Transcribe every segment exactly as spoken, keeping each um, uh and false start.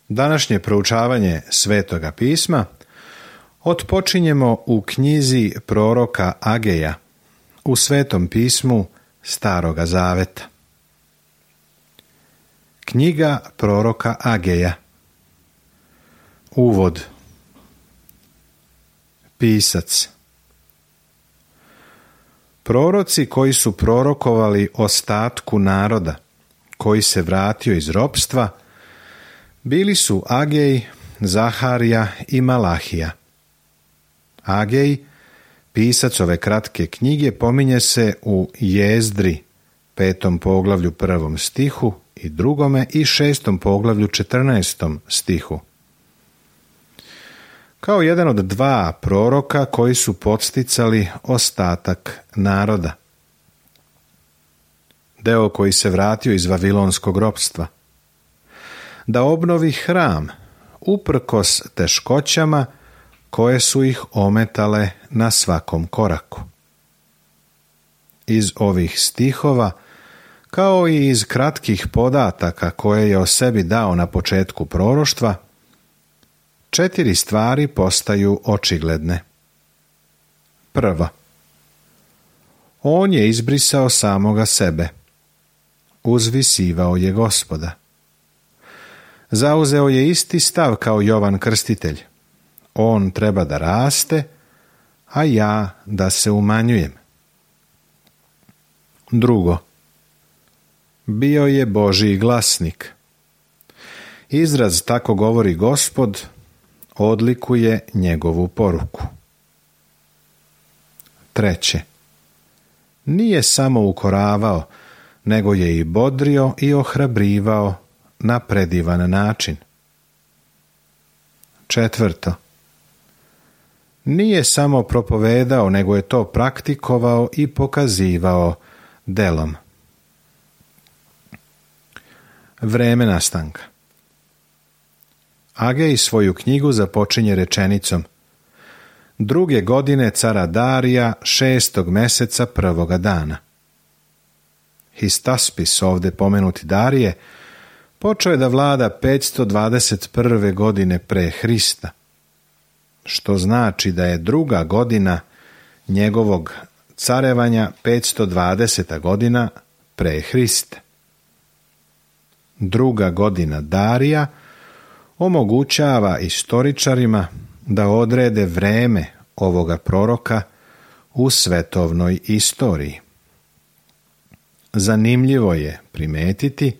Današnje proučavanje Svetoga pisma otpočinjemo u knjizi proroka Ageja u Svetom pismu Staroga zaveta. Knjiga proroka Ageja. Uvod. Pisac. Proroci koji su prorokovali ostatku naroda koji se vratio iz ropstva bili su Agej, Zaharija i Malahija. Agej, pisac ove kratke knjige, pominje se u Jezdri, petom poglavlju prvom stihu i drugome i šestom poglavlju četrnaestom stihu. Kao jedan od dva proroka koji su podsticali ostatak naroda. Deo koji se vratio iz vavilonskog ropstva. Da obnovi hram uprkos teškoćama koje su ih ometale na svakom koraku. Iz ovih stihova, kao i iz kratkih podataka koje je o sebi dao na početku proroštva, četiri stvari postaju očigledne. Prvo, on je izbrisao samoga sebe. Uzvisivao je Gospoda. Zauzeo je isti stav kao Jovan Krstitelj. On treba da raste, a ja da se umanjujem. Drugo, bio je Božji glasnik. Izraz tako govori Gospod odlikuje njegovu poruku. Treće, nije samo ukoravao, nego je i bodrio i ohrabrivao na predivan način. Četvrto, nije samo propovedao, nego je to praktikovao i pokazivao delom. Vreme nastanka. Agej svoju knjigu započinje rečenicom: druge godine cara Darija, šestog meseca prvoga dana. Histaspis, ovdje pomenuti Darije, počeo je da vlada petsto dvadeset prve godine pre Hrista, što znači da je druga godina njegovog carevanja petsto dvadeseta godina pre Hrista. Druga godina Darija omogućava istoričarima da odrede vreme ovoga proroka u svetovnoj istoriji. Zanimljivo je primetiti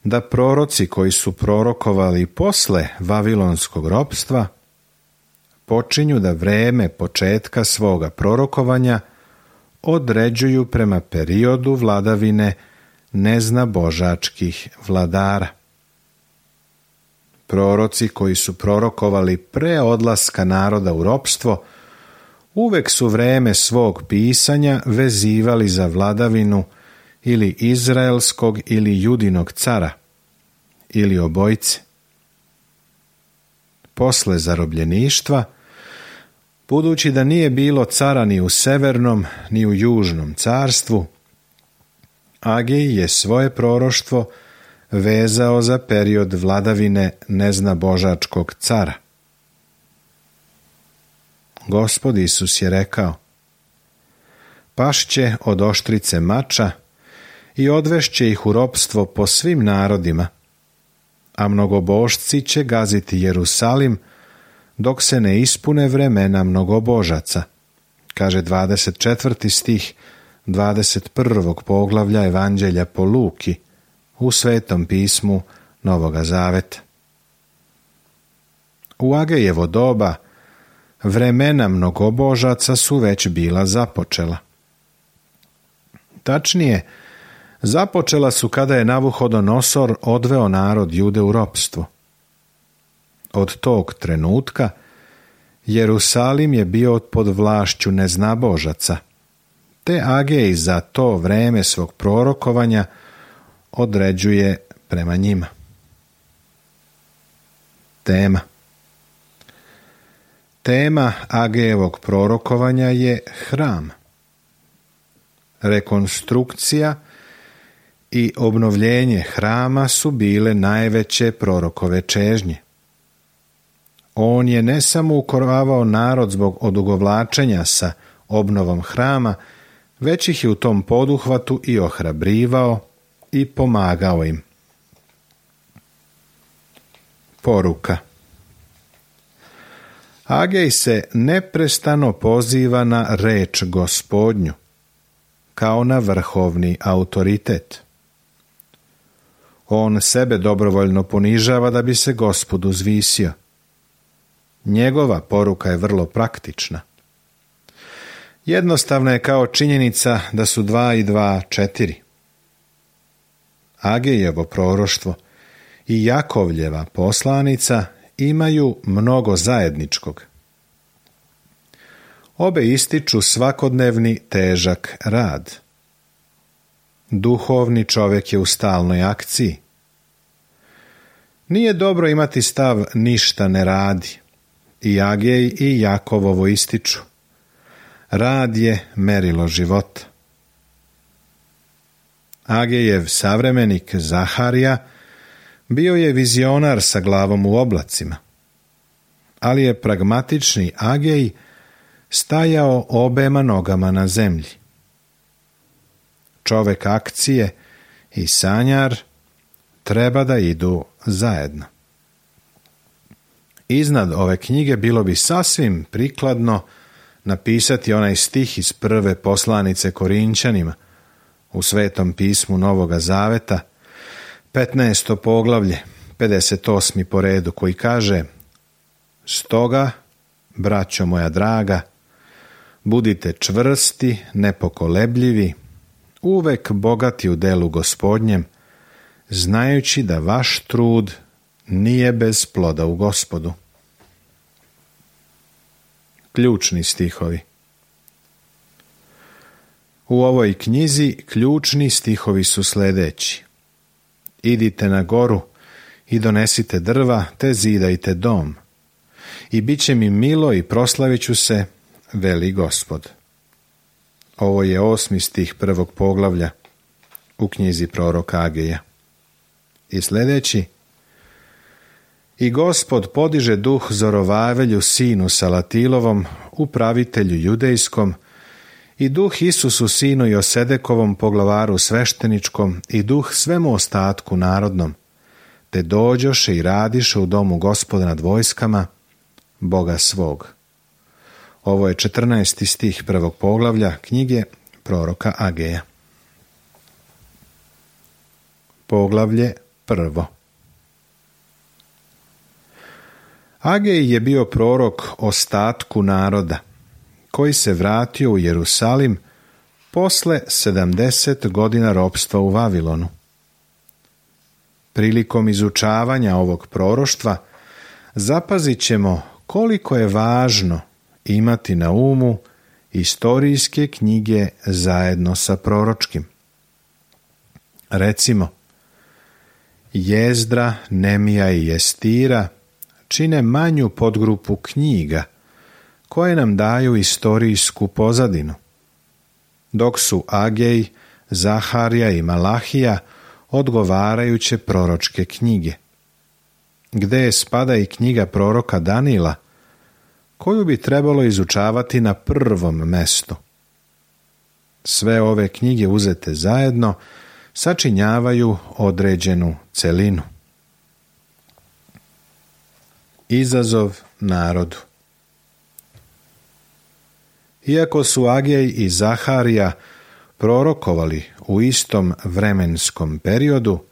da proroci koji su prorokovali posle vavilonskog ropstva počinju da vreme početka svoga prorokovanja određuju prema periodu vladavine neznabožačkih vladara. Proroci koji su prorokovali pre odlaska naroda u ropstvo uvek su vreme svog pisanja vezivali za vladavinu ili izraelskog ili judinog cara, ili obojice. Posle zarobljeništva, budući da nije bilo cara ni u severnom ni u južnom carstvu, Agej je svoje proroštvo vezao za period vladavine neznabožačkog cara. Gospod Isus je rekao: pašće od oštrice mača i odvešće ih u ropstvo po svim narodima, a mnogobožci će gaziti Jerusalim dok se ne ispune vremena mnogobožaca, kaže dvadeset četvrti stih dvadeset prvog poglavlja Evanđelja po Luki u Svetom pismu Novoga zaveta. U Agejevo doba vremena mnogobožaca su već bila započela. Tačnije, započela su kada je Navuhodonosor odveo narod Jude u ropstvo. Od tog trenutka Jerusalim je bio pod vlašću neznabožaca, te Agej za to vreme svog prorokovanja određuje prema njima. Tema. Tema Agejevog prorokovanja je hram. Rekonstrukcija i obnovljenje hrama su bile najveće prorokove čežnje. On je ne samo ukoravao narod zbog odugovlačenja sa obnovom hrama, već ih je u tom poduhvatu i ohrabrivao i pomagao im. Poruka. Agej se neprestano poziva na reč Gospodnju, kao na vrhovni autoritet. On sebe dobrovoljno ponižava da bi se Gospod uzvisio. Njegova poruka je vrlo praktična. Jednostavna je kao činjenica da su dva i dva četiri. Agejevo proroštvo i Jakovljeva poslanica imaju mnogo zajedničkog. Obe ističu svakodnevni težak rad. Duhovni čovjek je u stalnoj akciji. Nije dobro imati stav ništa ne radi. I Agej i Jakov ovo ističu. Rad je merilo života. Agejev savremenik Zaharija bio je vizionar sa glavom u oblacima, ali je pragmatični Agej stajao obema nogama na zemlji. Čovjek akcije i sanjar treba da idu zajedno. Iznad ove knjige bilo bi sasvim prikladno napisati onaj stih iz prve poslanice Korinćanima u Svetom pismu Novoga Zaveta, petnaesto poglavlje, pedeset osmi po redu, koji kaže: Stoga, braćo moja draga, budite čvrsti, nepokolebljivi, uvek bogati u delu Gospodnjem, znajući da vaš trud nije bez ploda u Gospodu. Ključni stihovi. U ovoj knjizi ključni stihovi su sljedeći: Idite na goru i donesite drva, te zidajte dom. I bit će mi milo i proslavit ću se, veli Gospod. Ovo je osmi stih prvog poglavlja u knjizi proroka Ageja. I sljedeći: I Gospod podiže duh Zorovavelju sinu Salatilovom, upravitelju judejskom, i duh Isusu sinu Josedekovom, poglavaru svešteničkom, i duh svemu ostatku narodnom, te dođoše i radiše u domu Gospoda nad vojskama, Boga svog. Ovo je četrnaesti stih prvog poglavlja knjige proroka Ageja. Poglavlje prvo. Agej je bio prorok ostatku naroda, koji se vratio u Jerusalim posle sedamdeset godina ropstva u Vavilonu. Prilikom izučavanja ovog proroštva zapazit ćemo koliko je važno imati na umu istorijske knjige zajedno sa proročkim. Recimo, Jezdra, Nemija i Jestira čine manju podgrupu knjiga koje nam daju istorijsku pozadinu, dok su Agej, Zaharija i Malahija odgovarajuće proročke knjige, gde spada i knjiga proroka Danila, koju bi trebalo izučavati na prvom mestu. Sve ove knjige uzete zajedno sačinjavaju određenu celinu. Izazov narodu. Iako su Agej i Zaharija prorokovali u istom vremenskom periodu,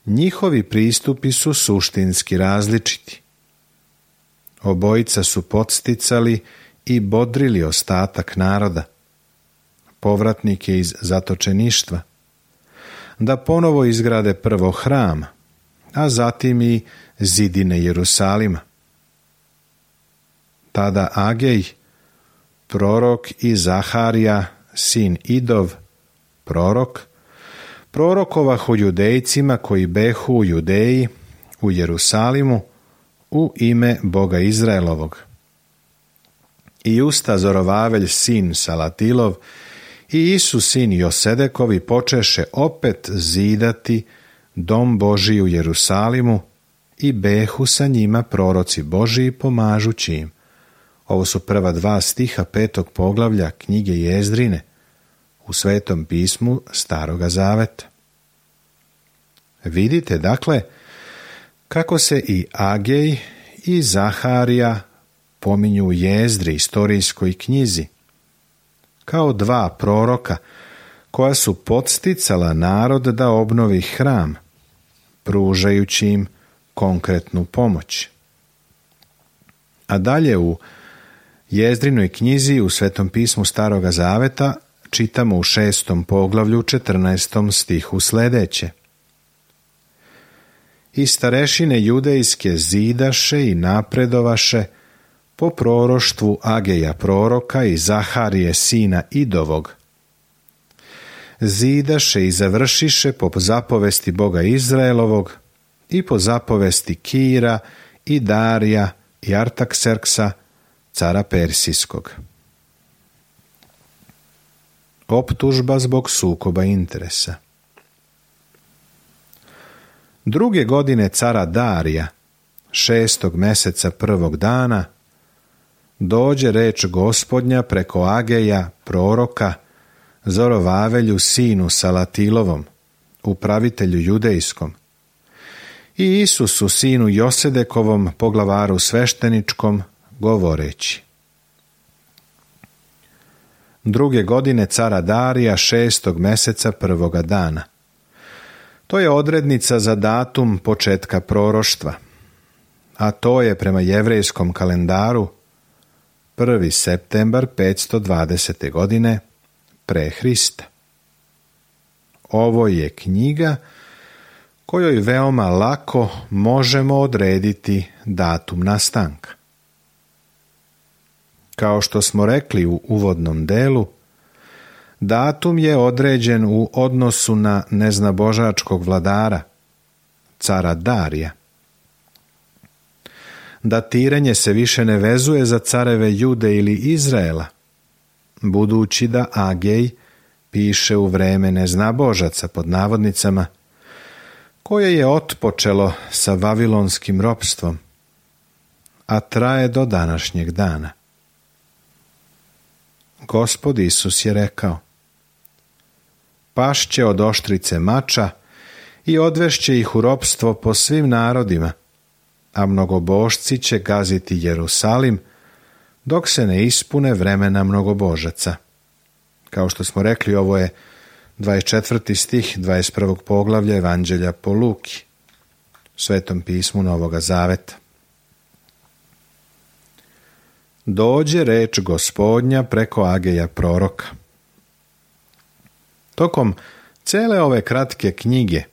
njihovi pristupi su suštinski različiti. Obojica su podsticali i bodrili ostatak naroda, povratnike iz zatočeništva, da ponovo izgrade prvo hram, a zatim i zidine Jerusalima. Tada Agej, prorok, i Zaharija, sin Idov, prorok, prorokovahu judejcima koji behu u Judeji, u Jerusalimu, u ime Boga Izraelovog. I usta Zorovavelj sin Salatilov I Isus sin Josedekovi počeše opet zidati dom Božiji u Jerusalimu i behu sa njima proroci Božiji pomažući im. Ovo su prva dva stiha petog poglavlja knjige Jezdrine u Svetom pismu Staroga zaveta. Vidite, dakle, kako se i Agej i Zaharija pominju u Jezdri, istorijskoj knjizi, kao dva proroka koja su podsticala narod da obnovi hram, pružajući im konkretnu pomoć. A dalje u Jezdrinoj knjizi u Svetom pismu Staroga zaveta čitamo u šestom poglavlju četrnaestom stihu sljedeće. I starešine judejske zidaše i napredovaše po proroštvu Ageja proroka i Zaharije sina Idovog. Zidaše i završiše po zapovesti Boga Izraelovog i po zapovesti Kira i Darija i Artakserksa, cara Persijskog. Optužba zbog sukoba interesa. Druge godine cara Darija, šestog meseca prvog dana, dođe reč Gospodnja preko Ageja, proroka, Zorovavelju sinu Salatilovom, upravitelju judejskom, i Isusu sinu Josedekovom, poglavaru svešteničkom, govoreći. Druge godine cara Darija, šestog meseca prvoga dana. To je odrednica za datum početka proroštva, a to je prema jevrejskom kalendaru prvi septembar petsto dvadesete godine pre Hrista. Ovo je knjiga kojoj veoma lako možemo odrediti datum nastanka. Kao što smo rekli u uvodnom delu, datum je određen u odnosu na neznabožačkog vladara, cara Darija. Datiranje se više ne vezuje za careve Jude ili Izraela, budući da Agej piše u vreme neznabožaca pod navodnicama, koje je otpočelo sa vavilonskim ropstvom, a traje do današnjeg dana. Gospod Isus je rekao: pašće od oštrice mača i odvešće ih u ropstvo po svim narodima, a mnogobožci će gaziti Jerusalim dok se ne ispune vremena mnogobožaca. Kao što smo rekli, ovo je dvadeset četvrti stih dvadeset prvog poglavlja Evanđelja po Luki, Svetom pismu Novoga zaveta. Dođe reč Gospodnja preko Ageja proroka. Tokom cele ove kratke knjige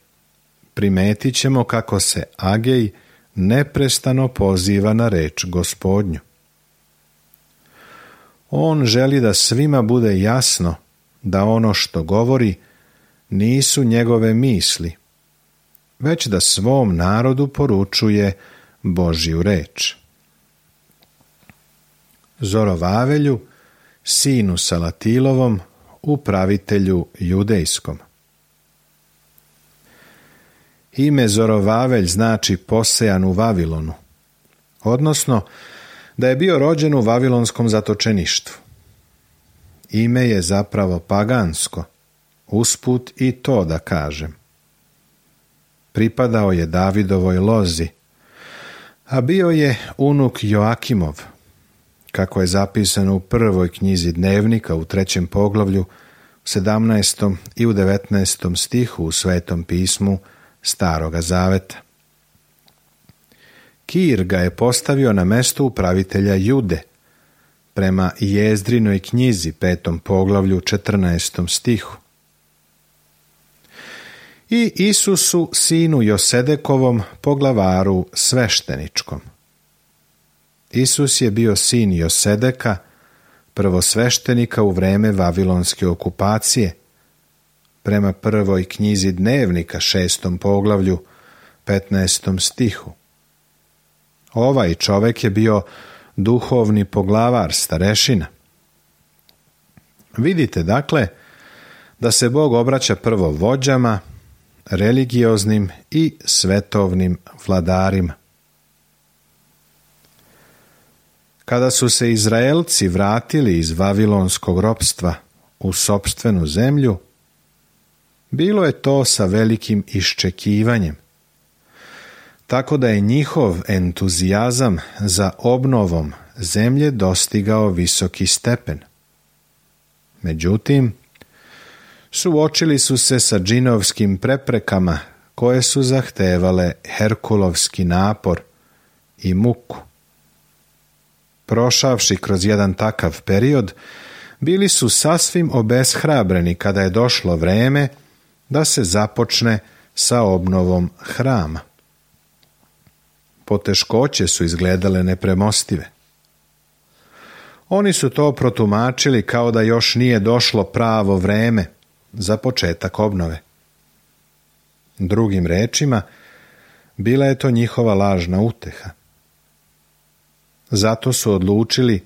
primetit ćemo kako se Agej neprestano poziva na reč Gospodnju. On želi da svima bude jasno da ono što govori nisu njegove misli, već da svom narodu poručuje Božju reč. Zorovavelju, sinu Salatilovom, upravitelju judejskom. Ime Zorovavelj znači posejan u Vavilonu, odnosno da je bio rođen u vavilonskom zatočeništvu. Ime je zapravo pagansko, usput i to da kažem. Pripadao je Davidovoj lozi, a bio je unuk Joakimov, kako je zapisano u prvoj knjizi Dnevnika u trećem poglavlju, u sedamnaestom i u devetnaestom stihu u Svetom pismu Staroga zaveta. Kir ga je postavio na mesto upravitelja Jude, prema Jezdrinoj knjizi petom poglavlju četrnaestom stihu. I Isusu sinu Josedekovom, poglavaru svešteničkom. Isus je bio sin Josedeka, prvosveštenika u vreme vavilonske okupacije, prema prvoj knjizi Dnevnika šestom poglavlju petnaestom stihu. Ovaj čovjek je bio duhovni poglavar starešina. Vidite, dakle, da se Bog obraća prvo vođama, religioznim i svetovnim vladarima. Kada su se Izraelci vratili iz vavilonskog ropstva u sopstvenu zemlju, bilo je to sa velikim iščekivanjem, tako da je njihov entuzijazam za obnovom zemlje dostigao visoki stepen. Međutim, suočili su se sa džinovskim preprekama koje su zahtevale herkulovski napor i muku. Prošavši kroz jedan takav period, bili su sasvim obeshrabreni kada je došlo vreme da se započne sa obnovom hrama. Poteškoće su izgledale nepremostive. Oni su to protumačili kao da još nije došlo pravo vreme za početak obnove. Drugim rečima, bila je to njihova lažna uteha. Zato su odlučili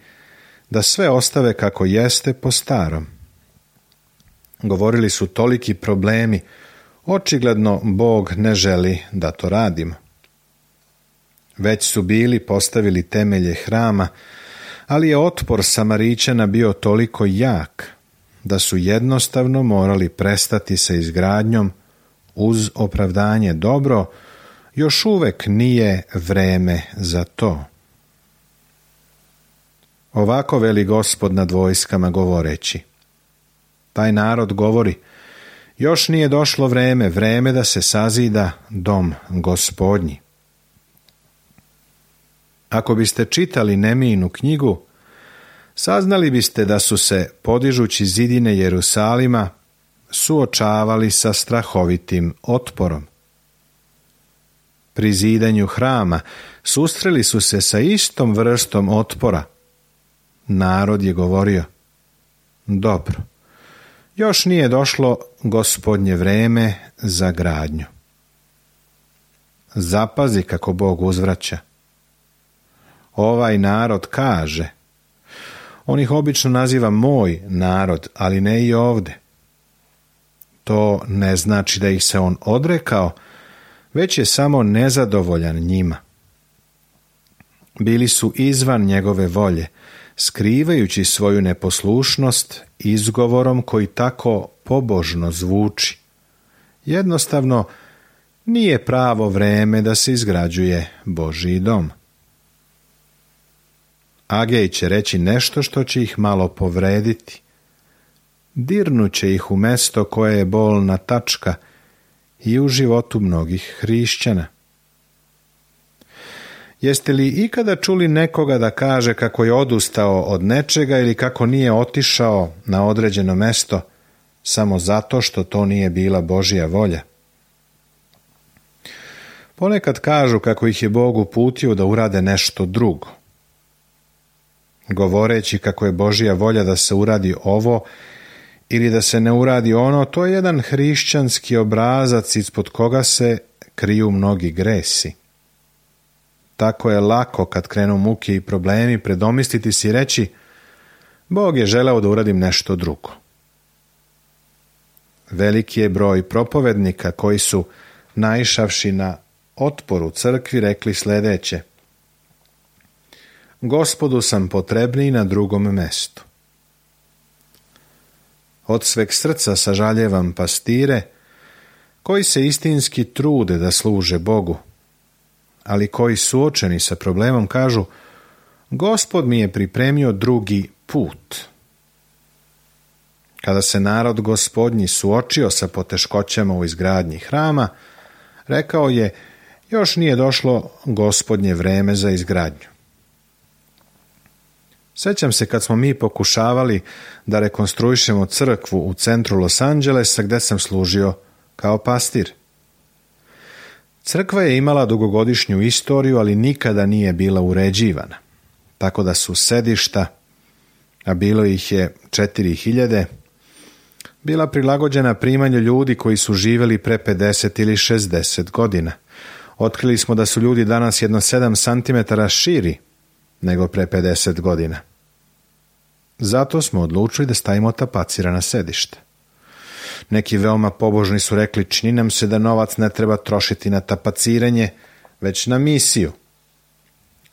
da sve ostave kako jeste po starom. Govorili su toliki problemi, očigledno Bog ne želi da to radimo. Već su bili postavili temelje hrama, ali je otpor Samarićana bio toliko jak da su jednostavno morali prestati sa izgradnjom uz opravdanje dobro, još uvek nije vreme za to. Ovako veli Gospod nad vojskama govoreći: taj narod govori, još nije došlo vreme, vreme da se sazida dom Gospodnji. Ako biste čitali Nemijinu knjigu, saznali biste da su se, podižući zidine Jerusalima, suočavali sa strahovitim otporom. Pri zidanju hrama susreli su se sa istom vrstom otpora. Narod je govorio: dobro, još nije došlo Gospodnje vreme za gradnju. Zapazi kako Bog uzvraća. Ovaj narod kaže, on ih obično naziva moj narod, ali ne i ovde. To ne znači da ih se on odrekao, već je samo nezadovoljan njima. Bili su izvan njegove volje, skrivajući svoju neposlušnost izgovorom koji tako pobožno zvuči. Jednostavno, nije pravo vreme da se izgrađuje Božji dom. Agej će reći nešto što će ih malo povrediti. Dirnuće ih u mesto koje je bolna tačka i u životu mnogih hrišćana. Jeste li ikada čuli nekoga da kaže kako je odustao od nečega ili kako nije otišao na određeno mesto samo zato što to nije bila Božja volja? Ponekad kažu kako ih je Bog uputio da urade nešto drugo. Govoreći kako je Božja volja da se uradi ovo ili da se ne uradi ono, to je jedan hrišćanski obrazac ispod koga se kriju mnogi gresi. Tako je lako kad krenu muke i problemi predomisliti si i reći: Bog je želeo da uradim nešto drugo. Veliki je broj propovednika koji su, naišavši na otpor u crkvi, rekli sljedeće: Gospodu sam potrebniji na drugom mestu. Od sveg srca sažaljevam pastire koji se istinski trude da služe Bogu, ali koji suočeni sa problemom kažu: Gospod mi je pripremio drugi put. Kada se narod Gospodnji suočio sa poteškoćama u izgradnji hrama, rekao je: još nije došlo Gospodnje vreme za izgradnju. Sjećam se kad smo mi pokušavali da rekonstruišemo crkvu u centru Los Angelesa gdje sam služio kao pastir. Crkva je imala dugogodišnju istoriju, ali nikada nije bila uređivana, tako da su sedišta, a bilo ih je četiri hiljade, bila prilagođena primanju ljudi koji su živjeli pre pedeset ili šezdeset godina. Otkrili smo da su ljudi danas jedno sedam centimetara širi nego pre pedeset godina. Zato smo odlučili da stavimo tapacirana sedišta. Neki veoma pobožni su rekli, čini nam se da novac ne treba trošiti na tapaciranje, već na misiju.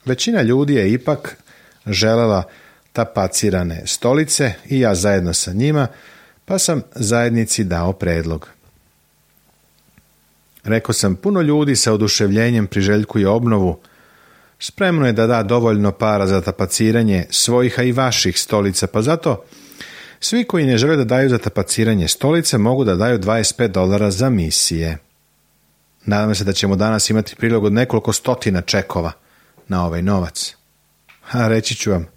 Većina ljudi je ipak želela tapacirane stolice i ja zajedno sa njima, pa sam zajednici dao predlog. Rekao sam, puno ljudi sa oduševljenjem priželjkuje obnovu, spremno je da da dovoljno para za tapaciranje svojih, a i vaših stolica, pa zato svi koji ne žele da daju za tapaciranje stolice mogu da daju dvadeset pet dolara za misije. Nadam se da ćemo danas imati prilog od nekoliko stotina čekova na ovaj novac. A reći ću vam,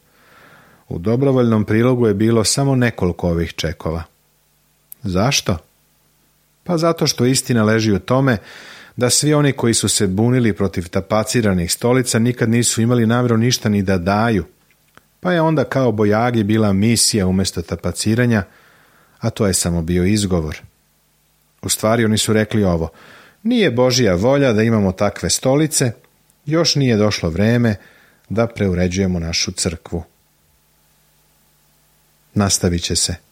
u dobrovoljnom prilogu je bilo samo nekoliko ovih čekova. Zašto? Pa zato što istina leži u tome da svi oni koji su se bunili protiv tapaciranih stolica nikad nisu imali namjeru ništa ni da daju, pa je onda kao bojagi bila misija umjesto tapaciranja, a to je samo bio izgovor. U stvari oni su rekli ovo, nije Božja volja da imamo takve stolice, još nije došlo vreme da preuređujemo našu crkvu. Nastavit će se.